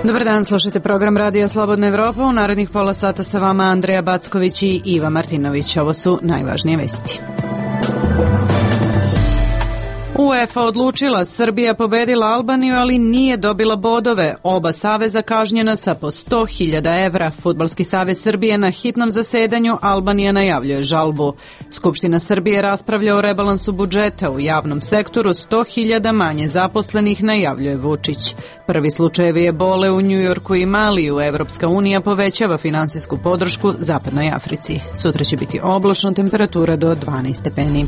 Dobar dan, slušajte program Radija Slobodna Evropa. U narednih pola sata sa vama Andreja Backović i Iva Martinović. Ovo su najvažnije vesti. UEFA odlučila, Srbija pobedila Albaniju, ali nije dobila bodove. Oba saveza kažnjena sa po 100.000 evra. Fudbalski savez Srbije na hitnom zasedanju, Albanija najavljuje žalbu. Skupština Srbije raspravlja o rebalansu budžeta. U javnom sektoru 100.000 manje zaposlenih, najavljuje Vučić. Prvi slučajevi ebole u Njujorku i Maliju. Evropska unija povećava finansijsku podršku Zapadnoj Africi. Sutra će biti oblačno, temperatura do 12 stepeni.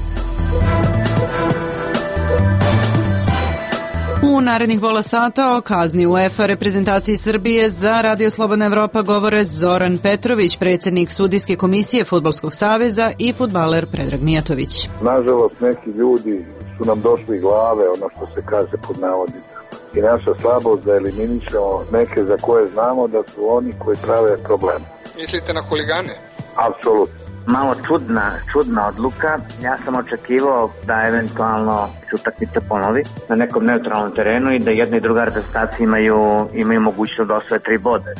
U narednih pola sata o kazni UEFA reprezentaciji Srbije za Radio Slobodna Evropa govore Zoran Petrović, predsjednik sudijske komisije Fudbalskog saveza i fudbaler Predrag Mijatović. Nažalost, neki ljudi su nam došli glave, ono što se kaže pod navodnicama. I naša slabost da eliminišemo neke za koje znamo da su oni koji prave probleme. Mislite na huligane? Apsolutno. Malo čudna odluka. Ja sam očekivao da eventualno se utakmica ponovi na nekom neutralnom terenu i da jedna i druga reprezentacija imaju mogućnost da osvoje 3 boda.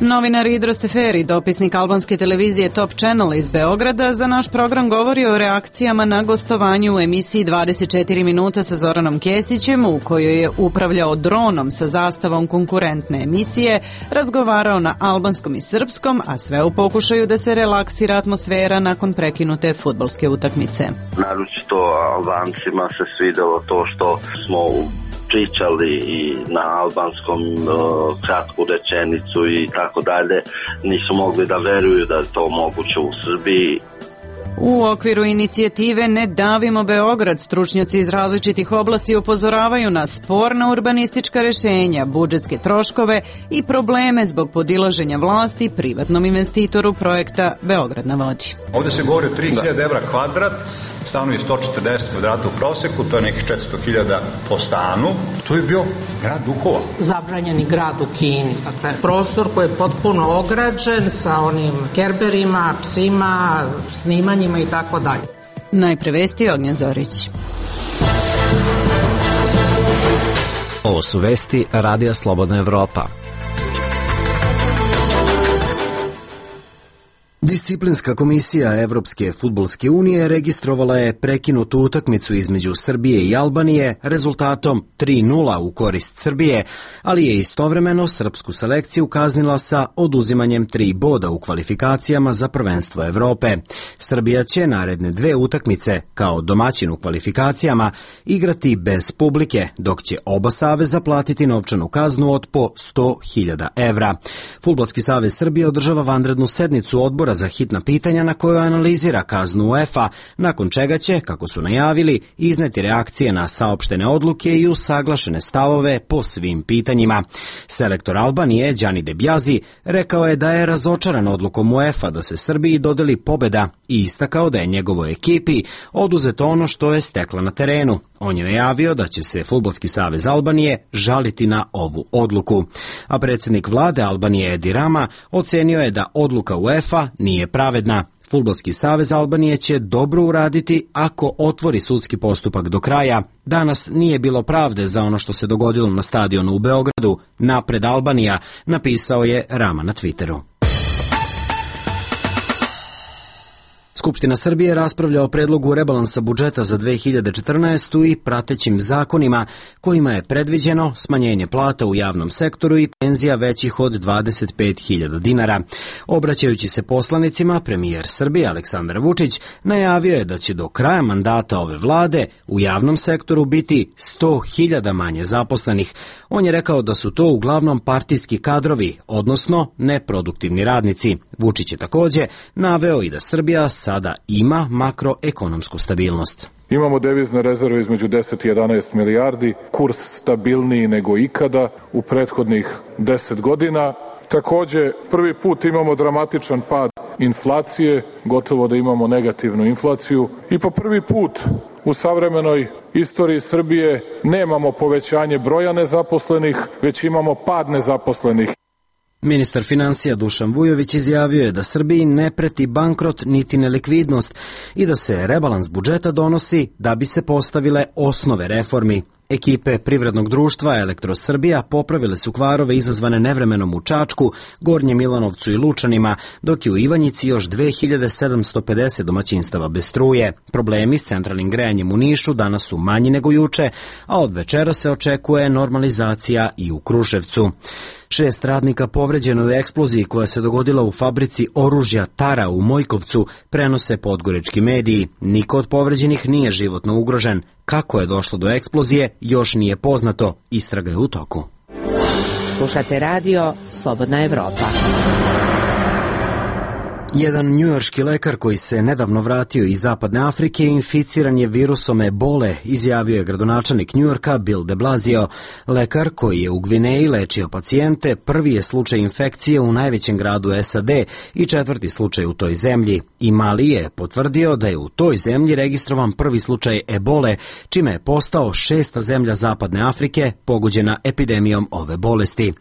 Novinar Idro Steferi, dopisnik albanske televizije Top Channel iz Beograda, za naš program govori o reakcijama na gostovanju u emisiji 24 minuta sa Zoranom Kesićem, u kojoj je upravljao dronom sa zastavom konkurentne emisije, razgovarao na albanskom i srpskom, a sve u pokušaju da se relaksira atmosfera nakon prekinute fudbalske utakmice. Naročito Albancima se svidelo to što smo pričali i na albanskom kratku rečenicu i tako dalje, nisu mogli da veruju da je to moguće u Srbiji. U okviru inicijative Ne davimo Beograd, stručnjaci iz različitih oblasti upozoravaju na sporna urbanistička rešenja, budžetske troškove i probleme zbog podilaženja vlasti privatnom investitoru projekta Beograd na vodi. Ovde se govori o 3.000 evra kvadrat, stanovi 140 kvadrata u proseku, to je nekih 400.000 po stanu. To je bio grad duhova. Zabranjeni grad u Kini. Dakle, prostor koji je potpuno ograđen sa onim kerberima, psima, snimanjima i tako dalje. Najpre vesti, Ognjen Zorić. Ovo su vesti Radija Slobodna Evropa. Disciplinska komisija Evropske fudbalske unije registrovala je prekinutu utakmicu između Srbije i Albanije rezultatom 3:0 u korist Srbije, ali je istovremeno srpsku selekciju kaznila sa oduzimanjem 3 boda u kvalifikacijama za prvenstvo Evrope. Srbija će naredne 2 utakmice kao domaćin u kvalifikacijama igrati bez publike, dok će oba saveza platiti novčanu kaznu od po 100.000 evra. Fudbalski savez Srbije održava vanrednu sednicu odbora za hitna pitanja na kojoj analizira kaznu UEFA, nakon čega će, kako su najavili, izneti reakcije na saopštene odluke i usaglašene stavove po svim pitanjima. Selektor Albanije, Đani Debjazi, rekao je da je razočaran odlukom UEFA da se Srbiji dodeli pobeda i istakao da je njegovoj ekipi oduzeto ono što je stekla na terenu. On je najavio da će se Fudbalski savez Albanije žaliti na ovu odluku. A predsjednik vlade Albanije Edi Rama ocenio je da odluka UEFA nije pravedna. Fudbalski savez Albanije će dobro uraditi ako otvori sudski postupak do kraja. Danas nije bilo pravde za ono što se dogodilo na stadionu u Beogradu. Napred Albanija, napisao je Rama na Twitteru. Skupština Srbije raspravlja o predlogu rebalansa budžeta za 2014. i pratećim zakonima kojima je predviđeno smanjenje plata u javnom sektoru i penzija većih od 25.000 dinara. Obraćajući se poslanicima, premijer Srbije Aleksandar Vučić najavio je da će do kraja mandata ove vlade u javnom sektoru biti 100.000 manje zaposlenih. On je rekao da su to uglavnom partijski kadrovi, odnosno neproduktivni radnici. Vučić je također naveo i da Srbija sada ima makroekonomsku stabilnost. Imamo devizne rezerve između 10 i 11 milijardi, kurs stabilniji nego ikada u prethodnih 10 godina. Također, prvi put imamo dramatičan pad inflacije, gotovo da imamo negativnu inflaciju i po prvi put u savremenoj istoriji Srbije nemamo povećanje broja nezaposlenih, već imamo pad nezaposlenih. Ministar financija Dušan Vujović izjavio je da Srbiji ne preti bankrot niti nelikvidnost i da se rebalans budžeta donosi da bi se postavile osnove reformi. Ekipe privrednog društva Elektrosrbija popravile su kvarove izazvane nevremenom u Čačku, Gornjem Milanovcu i Lučanima, dok je u Ivanjici još 2750 domaćinstava bez struje. Problemi s centralnim grejanjem u Nišu danas su manji nego juče, a od večera se očekuje normalizacija i u Kruševcu. 6 radnika povređeno u eksploziji koja se dogodila u fabrici oružja Tara u Mojkovcu, prenose podgorečki mediji. Niko od povređenih nije životno ugrožen. Kako je došlo do eksplozije, još nije poznato. Istraga je u toku. Slušate radio Slobodna Evropa. Jedan njujorški lekar koji se nedavno vratio iz Zapadne Afrike inficiran je virusom ebole, izjavio je gradonačelnik Njujorka Bill de Blasio. Lekar koji je u Gvineji lečio pacijente prvi je slučaj infekcije u najvećem gradu SAD i 4. slučaj u toj zemlji. I Mali je potvrdio da je u toj zemlji registrovan prvi slučaj ebole, čime je postao 6. zemlja Zapadne Afrike pogođena epidemijom ove bolesti.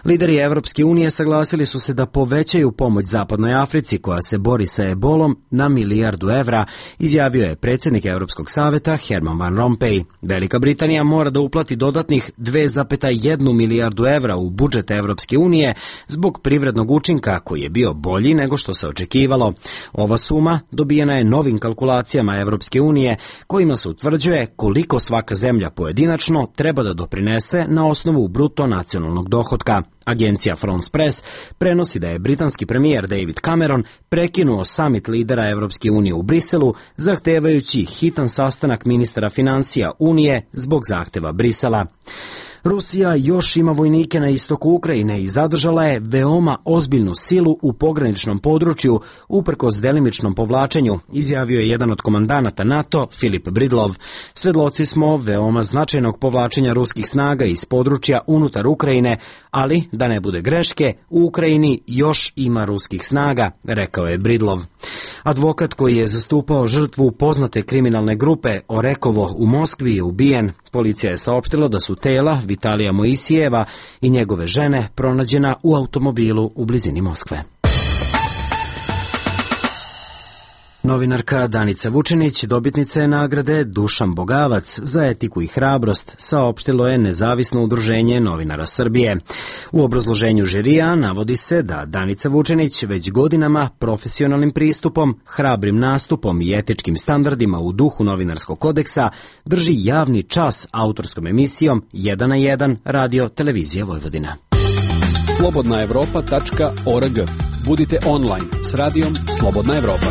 Lideri Evropske unije saglasili su se da povećaju pomoć Zapadnoj Africi koja se bori sa ebolom na $1 milijardu, izjavio je predsjednik Europskog saveta Herman Van Rompuy. Velika Britanija mora da uplati dodatnih $2,1 milijardu u budžet Evropske unije zbog privrednog učinka koji je bio bolji nego što se očekivalo. Ova suma dobijena je novim kalkulacijama Evropske unije kojima se utvrđuje koliko svaka zemlja pojedinačno treba da doprinese na osnovu bruto nacionalnog dohotka. Agencija France Press prenosi da je britanski premijer David Cameron prekinuo samit lidera Evropske unije u Briselu, zahtevajući hitan sastanak ministara financija Unije zbog zahteva Brisela. Rusija još ima vojnike na istoku Ukrajine i zadržala je veoma ozbiljnu silu u pograničnom području uprkos delimičnom povlačenju, izjavio je jedan od komandanata NATO, Filip Bridlov. Svedloci smo veoma značajnog povlačenja ruskih snaga iz područja unutar Ukrajine, ali da ne bude greške, u Ukrajini još ima ruskih snaga, rekao je Bridlov. Advokat koji je zastupao žrtvu poznate kriminalne grupe Orekovo u Moskvi je ubijen. Policija je saopštila da su tela Vitalija Moisijeva i njegove žene pronađena u automobilu u blizini Moskve. Novinarka Danica Vučinić dobitnica je nagrade Dušan Bogavac za etiku i hrabrost, saopštilo je Nezavisno udruženje novinara Srbije. U obrazloženju žirija navodi se da Danica Vučinić već godinama profesionalnim pristupom, hrabrim nastupom i etičkim standardima u duhu novinarskog kodeksa drži javni čas autorskom emisijom 1 na 1 Radio Televizija Vojvodina. slobodnaevropa.org. Budite online s radijom Slobodna Evropa.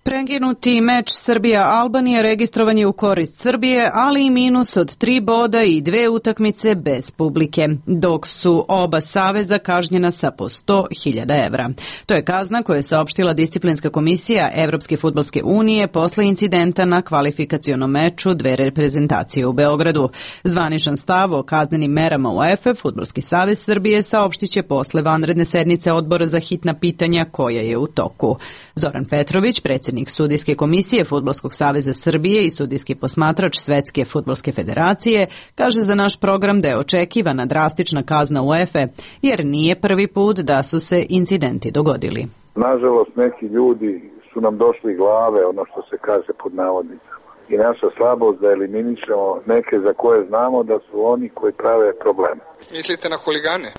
Prekinuti meč Srbija-Albanija registrovan je u korist Srbije, ali i minus od 3 boda i 2 utakmice bez publike, dok su oba saveza kažnjena sa po 100.000 evra. To je kazna koju je saopštila disciplinska komisija Evropske fudbalske unije posle incidenta na kvalifikacionom meču dve reprezentacije u Beogradu. Zvaničan stav o kaznenim merama UEFA Fudbalski savez Srbije saopštiće posle vanredne sednice odbora za hitna pitanja koja je u toku. Zoran Petrović, predsjednik Sudijske komisije Fudbalskog saveza Srbije i sudijski posmatrač Svetske fudbalske federacije, kaže za naš program da je očekivana drastična kazna UEFA, jer nije prvi put da su se incidenti dogodili. Nažalost, neki ljudi su nam došli glave, ono što se kaže pod navodnicama. I naša slabost da eliminišemo neke za koje znamo da su oni koji prave probleme. Mislite na huligane?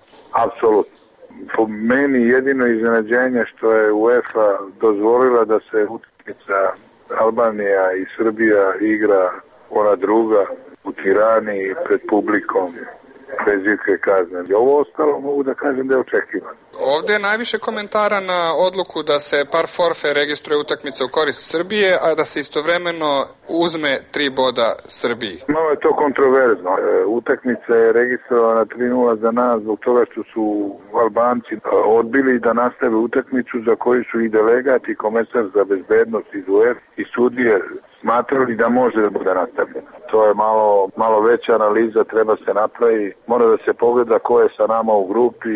Apsolutno. Po meni jedino iznenađenje što je UEFA dozvolila da se utakmica Albanija i Srbija igra ona druga u Tirani pred publikom bez ikakve kazne. Ovo ostalo mogu da kažem da je očekivano. Ovde je najviše komentara na odluku da se par forfe registruje utakmica u korist Srbije, a da se istovremeno uzme 3 boda Srbiji. Malo je to kontroverzno. Utakmica je registrovana 3-0 za nas zbog toga što su Albanci odbili da nastave utakmicu za koju su i delegat i komesar za bezbednost iz UEFA i sudije smatrali da može da bude nastavljeno. To je malo veća analiza, treba se napraviti. Mora da se pogleda ko je sa nama u grupi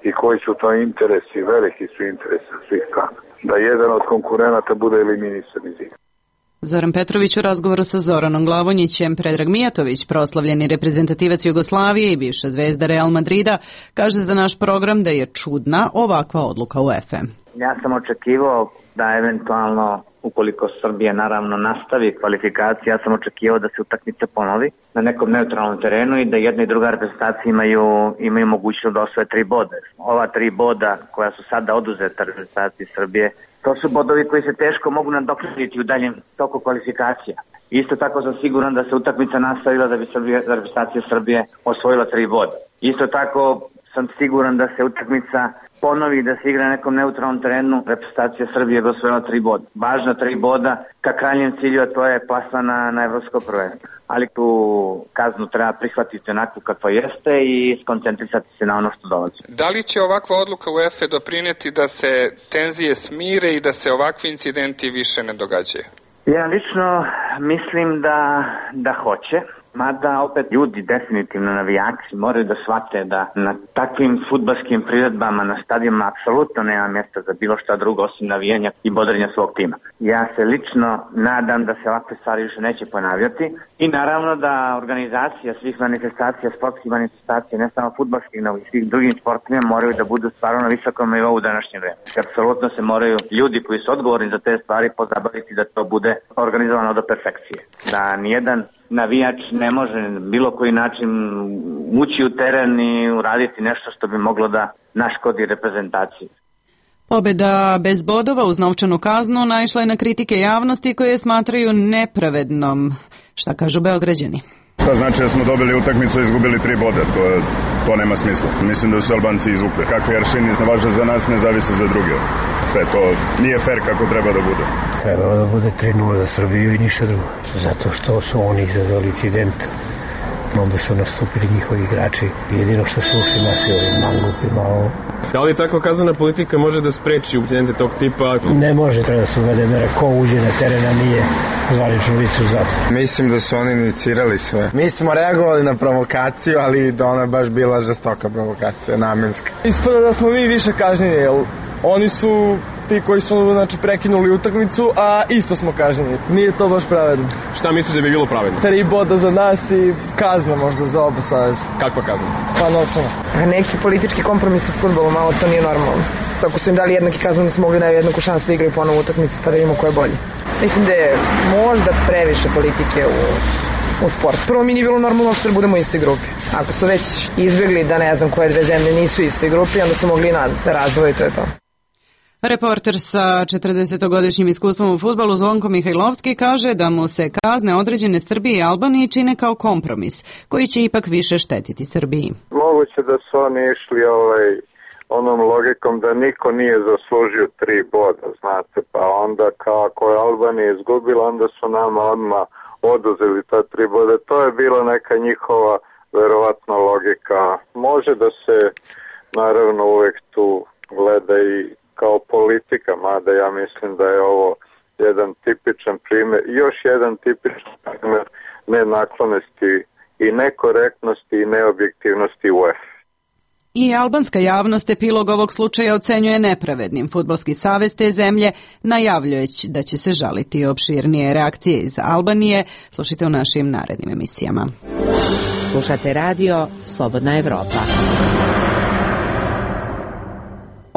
i koji su to interesi, veliki su interesi svih strana. Da jedan od konkurenata bude eliminisan iz igra. Zoran Petrović u razgovoru sa Zoranom Glavonjićem. Predrag Mijatović, proslavljeni reprezentativac Jugoslavije i bivša zvezda Real Madrida, kaže za naš program da je čudna ovakva odluka UEFA. Ja sam očekivao da eventualno, ukoliko Srbija naravno nastavi kvalifikacije, ja sam očekivao da se utakmica ponovi na nekom neutralnom terenu i da jedna i druga reprezentacija imaju mogućnost da osvoje 3 boda. Ova 3 boda koja su sada oduzeta reprezentaciji Srbije, to su bodovi koji se teško mogu nadoknaditi u daljem toku kvalifikacija. Isto tako sam siguran da se utakmica nastavila da bi reprezentacija Srbije osvojila 3 boda. Isto tako sam siguran da se utakmica ponovi da se igra na nekom neutralnom terenu, reprezentacija Srbije bi osvojila 3 boda. Važna 3 boda ka krajnjem cilju, a to je plasman na evropsko prvenstvo. Ali tu kaznu treba prihvatiti onako kakva jeste i skoncentrisati se na ono što dolazi. Da li će ovakva odluka UEFA doprineti da se tenzije smire i da se ovakvi incidenti više ne događaju? Ja lično mislim da hoće. Mada opet ljudi, definitivno navijači, moraju da shvate da na takvim fudbalskim priredbama na stadionima apsolutno nema mjesta za bilo šta drugo osim navijanja i bodrenja svog tima. Ja se lično nadam da se ovakve stvari više neće ponavljati i naravno da organizacija svih manifestacija, sportskih manifestacija, ne samo fudbalskih, nego i svih drugim sportima moraju da budu stvarno na visokom nivou u današnje vreme. Apsolutno se moraju ljudi koji su odgovorni za te stvari pozabaviti da to bude organizovano do perfekcije. Da nijedan navijač ne može bilo koji način ući u teren i uraditi nešto što bi moglo da naškodi reprezentaciji. Pobjeda bez bodova uz novčanu kaznu naišla je na kritike javnosti koje smatraju nepravednom. Šta kažu Beograđani? Šta znači da smo dobili utakmicu i izgubili 3 boda? To nema smisla. Mislim da su Albanci izvukli. Kakvi aršini ne važe za nas, ne zavise za druge. Sve to nije fair kako treba da bude. Trebalo da bude 3-0 za Srbiju i ništa drugo. Zato što su oni izazvali incident. Onda su nastupili njihovi igrači. Jedino što su ušli naši mangupima. Da li takva kaznena politika može da spreči incidente tog tipa? Ne može, treba da se uvede mere. Ko uđe na teren, a nije zvanično lice u zatvor. Mislim da su oni inicirali sve. Mi smo reagovali na provokaciju, ali da ona baš bila žestoka provokacija, namenska. Ispada da smo mi više kažnjeni, jer oni su ti koji su prekinuli utakmicu, a isto smo kažnjeni. Nije to baš pravedno. Šta misliš da bi bilo pravedno? 3 boda za nas i kazna možda za oba saveza. Kakva kazna? Pa novčana. Neki politički kompromis u fudbalu, malo to nije normalno. Tako su im dali jednaki kaznu, nismo mogli na jednaku šansu da igraju ponovo utakmicu, pa da vidimo ko je bolji. Mislim da je možda previše politike u sport. Prvo mi nije bilo normalno što da budemo u istoj grupi. Ako su već izbjegli da ne znam koje 2 zemlje nisu u istoj grupi, onda su mogli da razdvoje i to je to. Reporter sa 40-godišnjim iskustvom u fudbalu Zvonko Mihajlovski kaže da mu se kazne određene Srbiji i Albaniji čine kao kompromis, koji će ipak više štetiti Srbiji. Moguće da su oni išli onom logikom da niko nije zaslužio 3 boda, znate, pa onda kao ako je Albanija izgubila, onda su nama odmah oduzeli ta 3 boda. To je bila neka njihova verovatna logika. Može da se naravno uvek tu gleda i kao politika, mada ja mislim da je ovo jedan tipičan primjer, još jedan tipičan primjer nenaklonosti i nekorektnosti i neobjektivnosti UEFA. I albanska javnost epilog ovog slučaja ocenjuje nepravednim. Fudbalski savez te zemlje najavljuje da će se žaliti. Opširnije reakcije iz Albanije slušajte u našim narednim emisijama. Slušate radio Slobodna Evropa.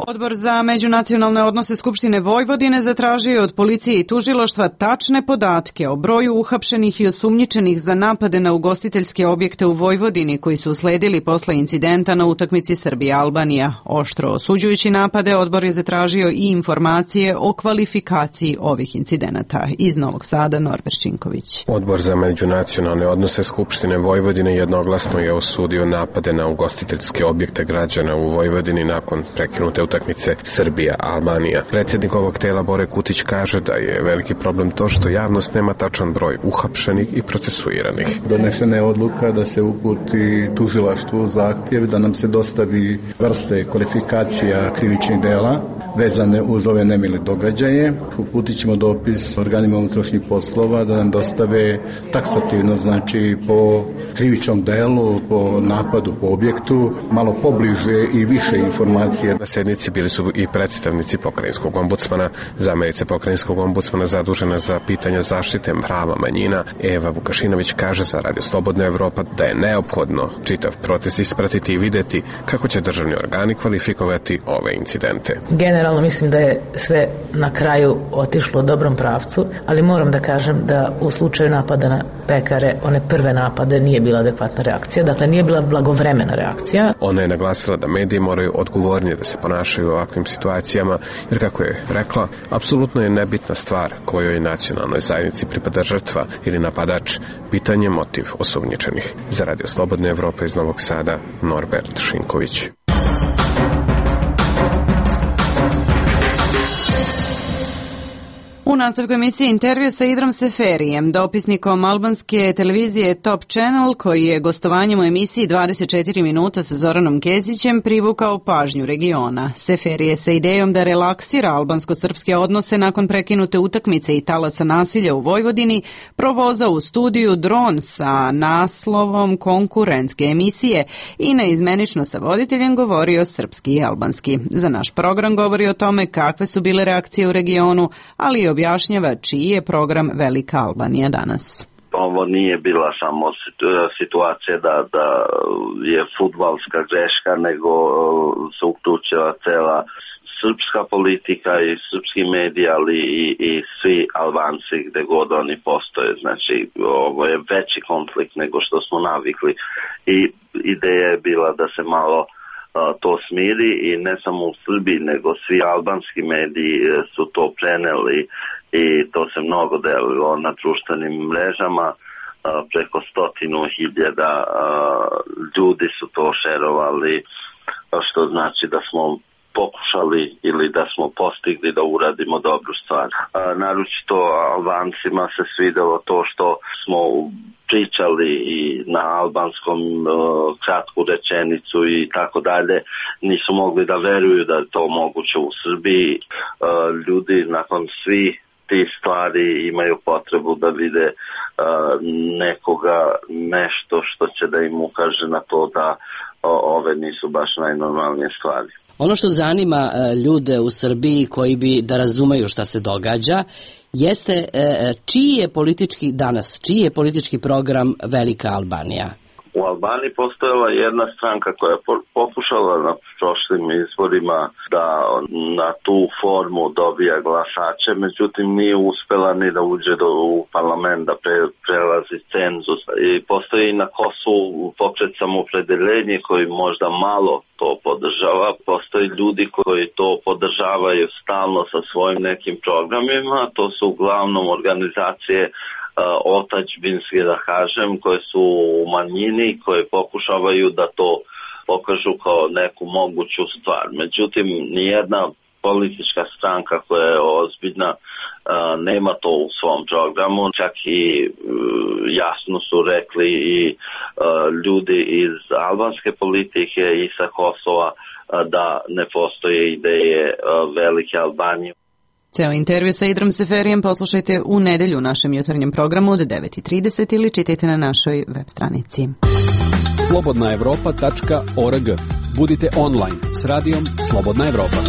Odbor za međunacionalne odnose Skupštine Vojvodine zatražio od policije i tužilaštva tačne podatke o broju uhapšenih i osumnjičenih za napade na ugostiteljske objekte u Vojvodini koji su usledili posle incidenta na utakmici Srbija-Albanija. Oštro osuđujući napade, odbor je zatražio i informacije o kvalifikaciji ovih incidenata. Iz Novog Sada, Norbert Šinković. Odbor za međunacionalne odnose Skupštine Vojvodine jednoglasno je osudio napade na ugostiteljske objekte građana u Vojvodini nakon prekinute utakmice Srbija-Albanija. Predsjednik ovog tela Bore Kutić kaže da je veliki problem to što javnost nema tačan broj uhapšenih i procesuiranih. Donešena je odluka da se uputi tužilaštvu zahtjev da nam se dostavi vrste kvalifikacija krivičnih dela vezane uz ove nemile događaje. Uputit ćemo dopis organima unutrašnjih poslova da nam dostave taksativno, znači po krivičnom delu, po napadu, po objektu, malo pobliže i više informacije. Na sednici bili su i predstavnici pokrajinskog ombudsmana, zamjerica pokrajinskog ombudsmana zadužena za pitanja zaštite prava manjina. Eva Vukašinović kaže za Radio Slobodna Evropa da je neophodno čitav proces ispratiti i videti kako će državni organi kvalifikovati ove incidente. Generalno Generalno mislim da je sve na kraju otišlo u dobrom pravcu, ali moram da kažem da u slučaju napada na pekare, one prve napade nije bila adekvatna reakcija, dakle nije bila blagovremena reakcija. Ona je naglasila da mediji moraju odgovornije da se ponašaju u ovakvim situacijama, jer kako je rekla, apsolutno je nebitna stvar kojoj nacionalnoj zajednici pripada žrtva ili napadač, pitanje motiv osumnjičenih. Za Radio Slobodne Evrope iz Novog Sada, Norbert Šinković. U nastavku emisije intervju sa Idrom Seferijem, dopisnikom albanske televizije Top Channel, koji je gostovanjem u emisiji 24 minuta sa Zoranom Kesićem privukao pažnju regiona. Seferije sa idejom da relaksira albansko-srpske odnose nakon prekinute utakmice i talasa nasilja u Vojvodini provozao u studiju dron sa naslovom konkurentske emisije i neizmenično sa voditeljem govorio srpski i albanski. Za naš program govori o tome kakve su bile reakcije u regionu, ali i objašnjava čiji je program Velika Albanija danas. Ovo nije bila samo situacija da je fudbalska greška, nego se uključila cela srpska politika i srpski mediji, ali i svi Albanci gde god oni postoje. Znači, ovo je veći konflikt nego što smo navikli i ideja je bila da se malo to smiri i ne samo u Srbiji, nego svi albanski mediji su to preneli i to se mnogo delilo na društvenim mrežama. Preko 100.000 ljudi su to šerovali, što znači da smo pokušali ili da smo postigli da uradimo dobru stvar. Naročito Albancima se svidelo to što smo pričali i na albanskom kratku rečenicu i tako dalje. Nisu mogli da veruju da je to moguće u Srbiji. Ljudi nakon svih tih stvari imaju potrebu da vide nekoga, nešto što će da im ukaže na to da ove nisu baš najnormalnije stvari. Ono što zanima ljude u Srbiji koji bi da razumeju šta se događa jeste čiji je politički program Velika Albanija? U Albaniji postojala jedna stranka koja je pokušala na prošlim izborima da na tu formu dobija glasače, međutim nije uspela ni da uđe u parlament, da prelazi cenzus. I postoji i na Kosovu pokret Samoopredeljenje koji možda malo to podržava. Postoji ljudi koji to podržavaju stalno sa svojim nekim programima. To su uglavnom organizacije otačbinske, da kažem, koje su u manjini, koje pokušavaju da to pokažu kao neku moguću stvar. Međutim, nijedna politička stranka koja je ozbiljna nema to u svom programu. Čak i jasno su rekli i ljudi iz albanske politike i sa Kosova da ne postoje ideje Velike Albanije. Ceo intervju sa Idrom Seferijem poslušajte u nedelju u našem jutarnjem programu od 9:30 ili čitajte na našoj web stranici. slobodnaevropa.org. Budite online s radijom Slobodna Evropa.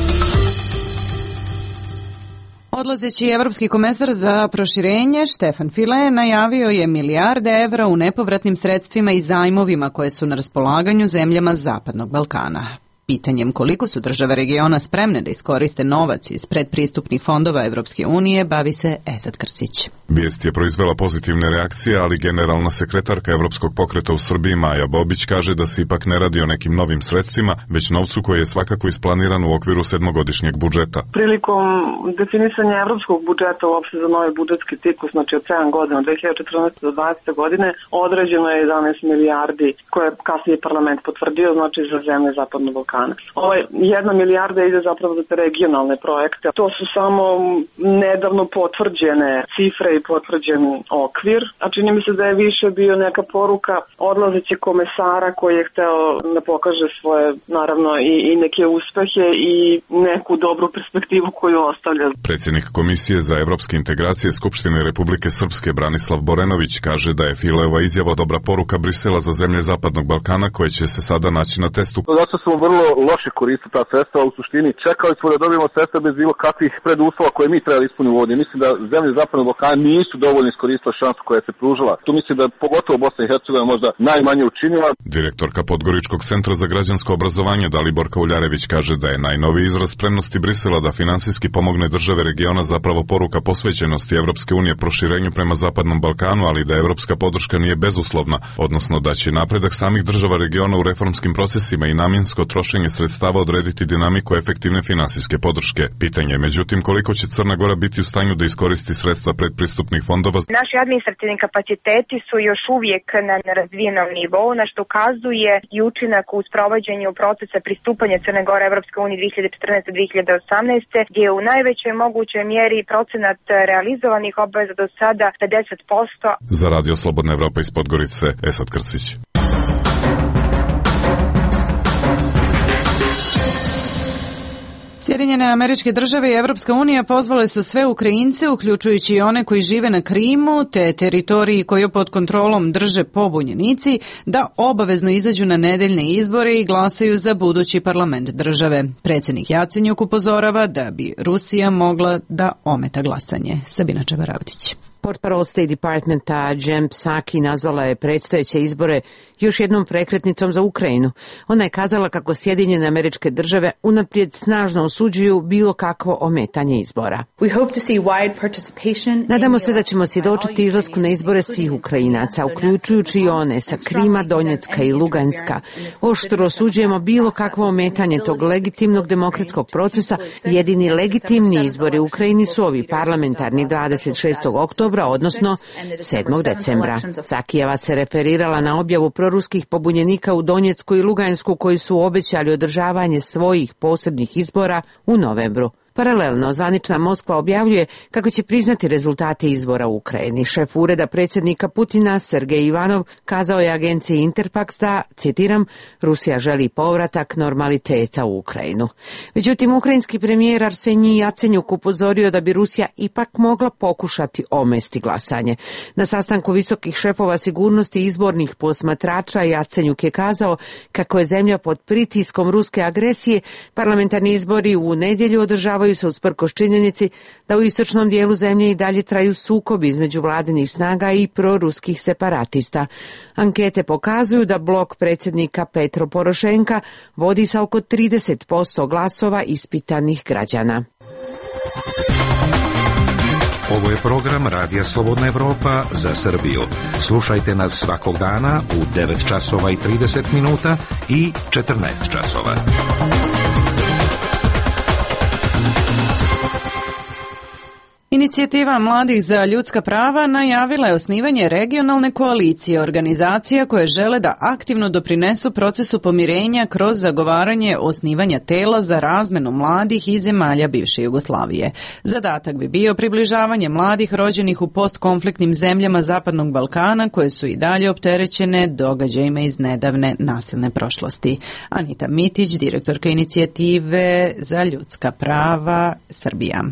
Odlazeći evropski komesar za proširenje Štefan File najavio je milijarde evra u nepovratnim sredstvima i zajmovima koje su na raspolaganju zemljama Zapadnog Balkana. Pitanjem koliko su države regiona spremne da iskoriste novac iz predpristupnih fondova Evropske unije bavi se Esad Krsić. Vijest je proizvela pozitivne reakcije, ali generalna sekretarka Evropskog pokreta u Srbiji Maja Bobić kaže da se ipak ne radi o nekim novim sredstvima, već novcu koji je svakako isplaniran u okviru 7-godišnjeg budžeta. Prilikom definisanja evropskog budžeta uopšte za novi budžetski ciklus, znači od 7 godina, od 2014. do 2020. godine, određeno je 11 milijardi koje je kasnije parlament potvrdio, znači za zemlje Zapadnog Balkana. Ovaj 1 milijarda ide zapravo za te regionalne projekte. To su samo nedavno potvrđene cifre i potvrđen okvir, a čini mi se da je više bio neka poruka odlazeće komesara koji je hteo da pokaže svoje, naravno, i neke uspehe i neku dobru perspektivu koju ostavlja. Predsjednik Komisije za evropske integracije Skupštine Republike Srpske Branislav Borenović kaže da je Fileova izjava dobra poruka Brisela za zemlje Zapadnog Balkana koje će se sada naći na testu. Zato smo vrlo loše koristiti ta sredstva, u suštini čekali smo da dobijemo sredstva bez bilo kakvih preduslova koje mi trebali ispuniti u vodi. Mislim da zemlje Zapadnog Balkana nisu dovoljno iskoristile šansu koja se pružila. Tu mislim da pogotovo Bosna i Hercegovina možda najmanje učinila. Direktorka Podgoričkog centra za građansko obrazovanje Daliborka Uljarević kaže da je najnoviji izraz spremnosti Brisela da finansijski pomogne države regiona zapravo poruka posvećenosti Evropske unije proširenju prema Zapadnom Balkanu, ali da evropska podrška nije bezuslovna, odnosno da će napredak samih država regiona u reformskim procesima i namjensko trošenje sredstava odrediti dinamiku efektivne finansijske podrške. Pitanje je međutim koliko će Crna Gora biti u stanju da iskoristi sredstva predpristupnih fondova. Naši administrativni kapaciteti su još uvijek na nerazvijenom nivou, na što ukazuje i učinak u sprovođenju procesa pristupanja Crne Gore Evropske unije 2014-2018, gdje je u najvećoj mogućoj mjeri procenat realizovanih obaveza do sada 50%. Za Radio Slobodna Evropa iz Podgorice, Esad Krcić. Sjedinjene Američke Države i Evropska unija pozvale su sve Ukrajince, uključujući i one koji žive na Krimu, te teritoriji koju pod kontrolom drže pobunjenici, da obavezno izađu na nedeljne izbore i glasaju za budući parlament države. Predsjednik Jacenjuk upozorava da bi Rusija mogla da ometa glasanje. Sabina Čebaravdić. Portparol State Departmenta Jen Psaki nazvala je predstojeće izbore još jednom prekretnicom za Ukrajinu. Ona je kazala kako Sjedinjene Američke Države unaprijed snažno osuđuju bilo kakvo ometanje izbora. Nadamo se da ćemo svjedočiti izlasku na izbore svih Ukrajinaca, uključujući i one sa Krima, Donjecka i Luganska. Oštro osuđujemo bilo kakvo ometanje tog legitimnog demokratskog procesa. Jedini legitimni izbori u Ukrajini su ovi parlamentarni 26. oktobra, odnosno 7. decembra. Psakijeva se referirala na objavu proruskih pobunjenika u Donjecku i Lugansku koji su obećali održavanje svojih posebnih izbora u novembru. Paralelno, zvanična Moskva objavljuje kako će priznati rezultate izbora u Ukrajini. Šef ureda predsjednika Putina, Sergej Ivanov, kazao je agenciji Interfax da, citiram, Rusija želi povratak normaliteta u Ukrajinu. Međutim, ukrajinski premijer Arsenij Jacenjuk upozorio da bi Rusija ipak mogla pokušati omesti glasanje. Na sastanku visokih šefova sigurnosti izbornih posmatrača Jacenjuk je kazao kako je zemlja pod pritiskom ruske agresije, parlamentarni izbori u nedjelju održavaju se usprkos činjenici da u istočnom dijelu zemlje i dalje traju sukobi između vladinih snaga i proruskih separatista. Ankete pokazuju da blok predsjednika Petro Porošenka vodi sa oko 30% glasova ispitanih građana. Ovo je program Radija Slobodna Evropa za Srbiju. Slušajte nas svakog dana u 9 časova i 30 minuta i 14 časova. Inicijativa mladih za ljudska prava najavila je osnivanje regionalne koalicije organizacija koje žele da aktivno doprinesu procesu pomirenja kroz zagovaranje osnivanja tela za razmenu mladih iz zemalja bivše Jugoslavije. Zadatak bi bio približavanje mladih rođenih u postkonfliktnim zemljama Zapadnog Balkana koje su i dalje opterećene događajima iz nedavne nasilne prošlosti. Anita Mitić, direktorka inicijative za ljudska prava Srbija.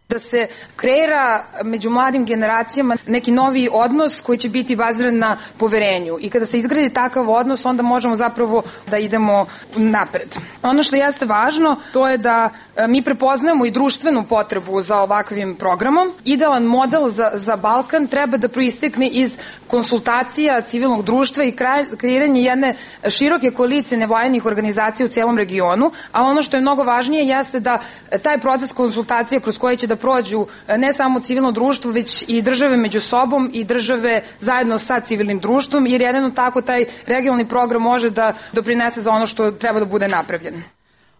Da se kreira među mladim generacijama neki novi odnos koji će biti baziran na poverenju. I kada se izgradi takav odnos, onda možemo zapravo da idemo napred. Ono što jeste važno, to je da mi prepoznajemo i društvenu potrebu za ovakvim programom. Idealan model za Balkan treba da proistekne iz konsultacija civilnog društva i kreiranje jedne široke koalicije nevladinih organizacija u cijelom regionu, a ono što je mnogo važnije jeste da taj proces konsultacija kroz koje će da prođu ne samo civilno društvo, već i države među sobom i države zajedno sa civilnim društvom, jer jedino tako taj regionalni program može da doprinese za ono što treba da bude napravljeno.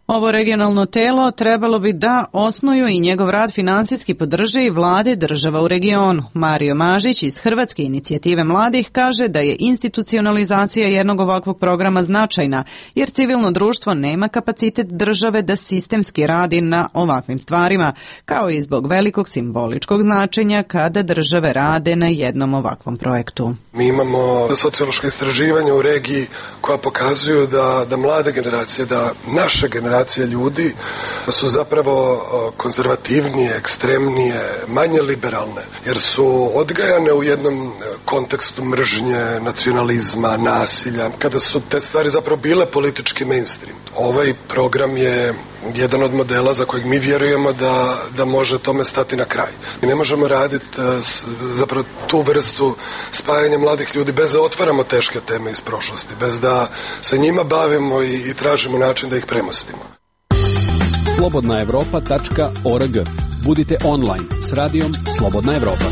Ovo regionalno telo trebalo bi da osnuju i njegov rad finansijski podrže i vlade država u regionu. Mario Mažić iz Hrvatske inicijative mladih kaže da je institucionalizacija jednog ovakvog programa značajna, jer civilno društvo nema kapacitet države da sistemski radi na ovakvim stvarima, kao i zbog velikog simboličkog značenja kada države rade na jednom ovakvom projektu. Mi imamo sociološka istraživanja u regiji koja pokazuju da mlade generacije, da naše generacije ljudi su zapravo konzervativnije, ekstremnije, manje liberalne, jer su odgajane u jednom kontekstu mržnje, nacionalizma, nasilja, kada su te stvari zapravo bile politički mainstream. Ovaj program je jedan od modela za kojeg mi vjerujemo da može tome stati na kraj. Mi ne možemo raditi zapravo tu vrstu spajanja mladih ljudi bez da otvaramo teške teme iz prošlosti, bez da se njima bavimo i tražimo način da ih premostimo. slobodnaevropa.org. Budite online s radijom Slobodna Evropa.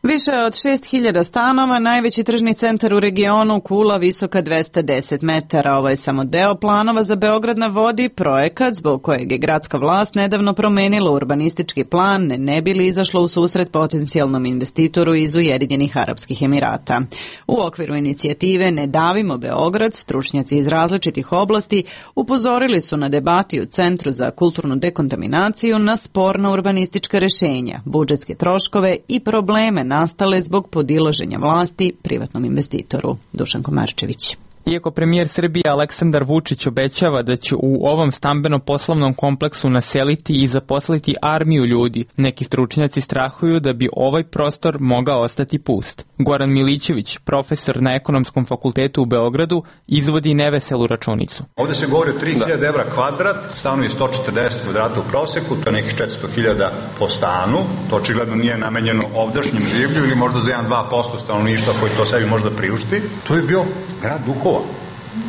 Više od 6.000 stanova, najveći tržni centar u regionu, kula visoka 210 metara. Ovo je samo deo planova za Beograd na vodi, projekat zbog kojeg je gradska vlast nedavno promenila urbanistički plan, ne bi li izašlo u susret potencijalnom investitoru iz Ujedinjenih Arapskih Emirata. U okviru inicijative Ne davimo Beograd, stručnjaci iz različitih oblasti upozorili su na debati u Centru za kulturnu dekontaminaciju na sporna urbanistička rešenja, budžetske troškove i probleme nastale zbog podilaženja vlasti privatnom investitoru. Dušan Komarčević. Iako premijer Srbije Aleksandar Vučić obećava da će u ovom stambeno-poslovnom kompleksu naseliti i zaposliti armiju ljudi, neki stručnjaci strahuju da bi ovaj prostor mogao ostati pust. Goran Milićević, profesor na Ekonomskom fakultetu u Beogradu, izvodi neveselu računicu. Ovde se govori o 3.000 evra kvadrat, stanovi 140 kvadrata u proseku, to je nekih 400.000 po stanu. To očigledno nije namenjeno ovdašnjem življu ili možda za 1-2% stanovništva koji to sebi možda priušti. To je bio grad duhova.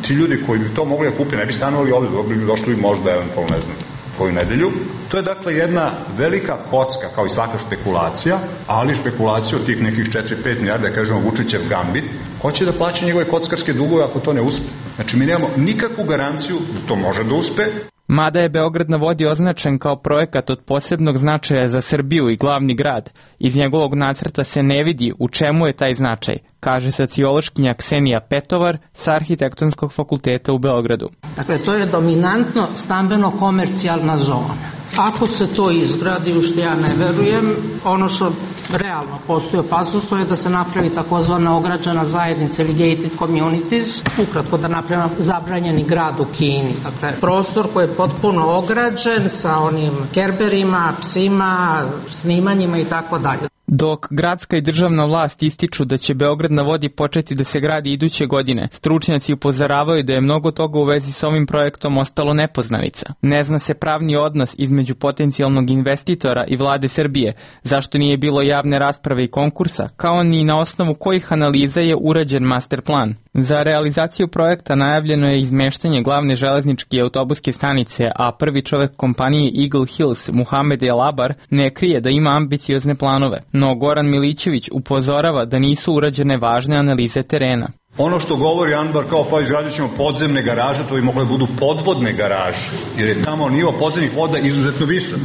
Ti ljudi koji bi to mogli da kupi ne bi stanovali ovde, bi došli možda eventualno, ne znam, koju nedelju. To je dakle jedna velika kocka, kao i svaka špekulacija, ali špekulacija od tih nekih 4-5 milijarda, da kažemo Vučićev gambit, ko će da plaća njegove kockarske dugove ako to ne uspe? Znači mi nemamo nikakvu garanciju da to može da uspe. Mada je Beograd na vodi označen kao projekat od posebnog značaja za Srbiju i glavni grad, iz njegovog nacrta se ne vidi u čemu je taj značaj, kaže sociološkinja Ksenija Petovar sa Arhitektonskog fakulteta u Beogradu. Dakle, to je dominantno stambeno-komercijalna zona. Ako se to izgradi, u što ja ne verujem, ono što realno postoji opasnost, to je da se napravi takozvana ograđena zajednica ili gated communities, ukratko da napravimo zabranjeni grad u Kini. Dakle, prostor koji je potpuno ograđen sa onim kerberima, psima, snimanjima i tako dalje. Dok gradska i državna vlast ističu da će Beograd na vodi početi da se gradi iduće godine, stručnjaci upozoravaju da je mnogo toga u vezi s ovim projektom ostalo nepoznanica. Ne zna se pravni odnos između potencijalnog investitora i vlade Srbije, zašto nije bilo javne rasprave i konkursa, kao ni na osnovu kojih analiza je urađen master plan. Za realizaciju projekta najavljeno je izmeštanje glavne železničke i autobuske stanice, a prvi čovek kompanije Eagle Hills, Muhamed El Abar, ne krije da ima ambiciozne planove. No Goran Milićević upozorava da nisu urađene važne analize terena. Ono što govori Anbar kao pa izgradit ćemo podzemne garaže, to bi mogle budu podvodne garaže, jer je tamo nivo podzemnih voda izuzetno visok.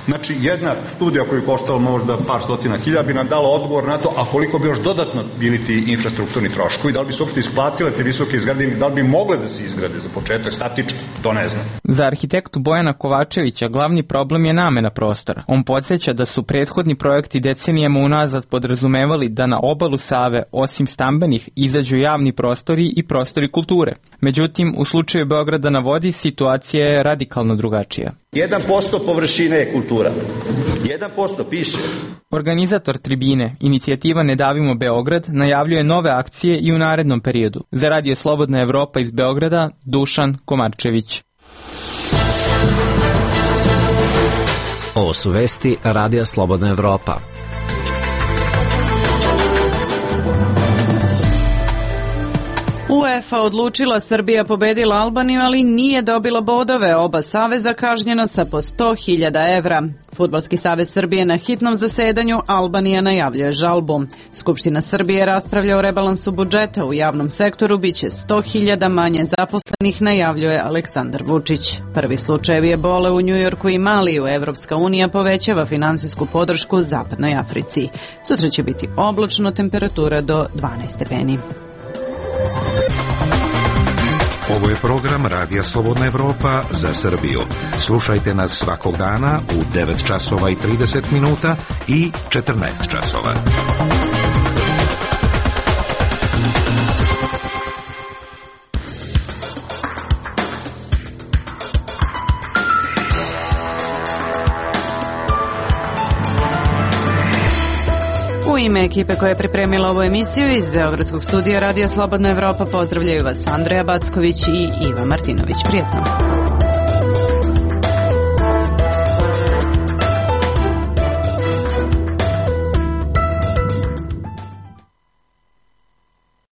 Znači, jedna studija koju je koštala možda par stotina hiljada bi nam dala odgovor na to, a koliko bi još dodatno bili ti infrastrukturni troškovi, da li bi se uopšte isplatile te visoke izgrade, da li bi mogle da se izgrade za početak statički, to ne znam. Za arhitektu Bojana Kovačevića glavni problem je namena prostora. On podsjeća da su prethodni projekti decenijama unazad podrazumevali da na obalu Save, osim stambenih, izađu javni prostori i prostori kulture. Međutim, u slučaju Beograda na vodi situacija je radikalno drugačija. 1% površine je kultura. 1% piše. Organizator tribine, inicijativa Ne davimo Beograd, najavljuje nove akcije i u narednom periodu. Za Radio Slobodna Evropa iz Beograda, Dušan Komarčević. Ovo su vesti Radija Slobodna Evropa. UEFA odlučila, Srbija pobedila Albaniju, ali nije dobila bodove. Oba saveza kažnjena sa po 100.000 evra. Fudbalski savez Srbije na hitnom zasedanju, Albanija najavljuje žalbu. Skupština Srbije raspravlja o rebalansu budžeta. U javnom sektoru biće 100.000 manje zaposlenih, najavljuje Aleksandar Vučić. Prvi slučajevi ebole u Njujorku i Maliju. Evropska unija povećava finansijsku podršku Zapadnoj Africi. Sutra će biti oblačno, temperatura do 12 stepeni. Ovo je program Radija Slobodna Evropa za Srbiju. Slušajte nas svakog dana u 9 časova i 30 minuta i 14 časova. U ime ekipe koja je pripremila ovu emisiju iz Beogradskog studija Radija Slobodna Evropa pozdravljaju vas Andreja Backović i Iva Martinović. Prijetno.